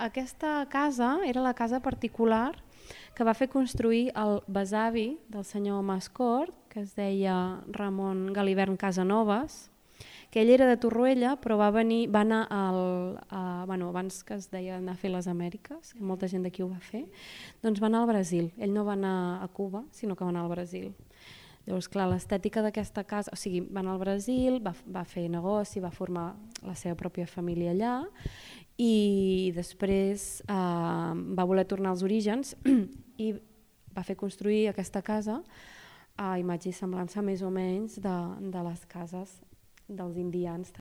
aquesta casa era la casa particular que va fer construir el besavi del senyor Mascort, que es deia Ramon Galivern Casanovas, que ell era de Torroella, però va anar abans que es deia anar a fer les Amèriques, que molta gent d'aquí ho va fer, doncs va anar al Brasil. Ell no va anar a Cuba, sinó que va anar al Brasil. Llavors, clar, l'estètica d'aquesta casa, o sigui, va anar al Brasil, va fer negoci, va formar la seva pròpia família allà i després va voler tornar als orígens i va fer construir aquesta casa a imatge i semblança més o menys de les cases dels indians